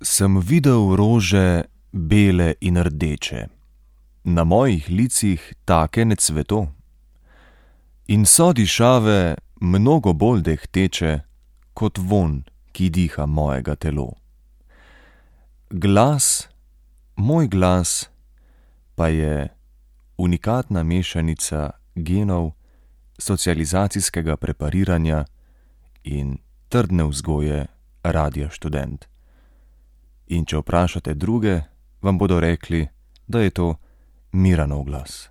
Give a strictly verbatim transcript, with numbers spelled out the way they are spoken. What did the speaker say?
Sem videl rože bele in rdeče, na mojih licih take ne cveto. In so dišave mnogo bolj dehteče, kot vonj, ki diha mojega telo. Glas, moj glas, pa je unikatna mešanica genov, socializacijskega prepariranja in trdne vzgoje Radia Študent. In če vprašate druge, vam bodo rekli, da je to Miranov glas.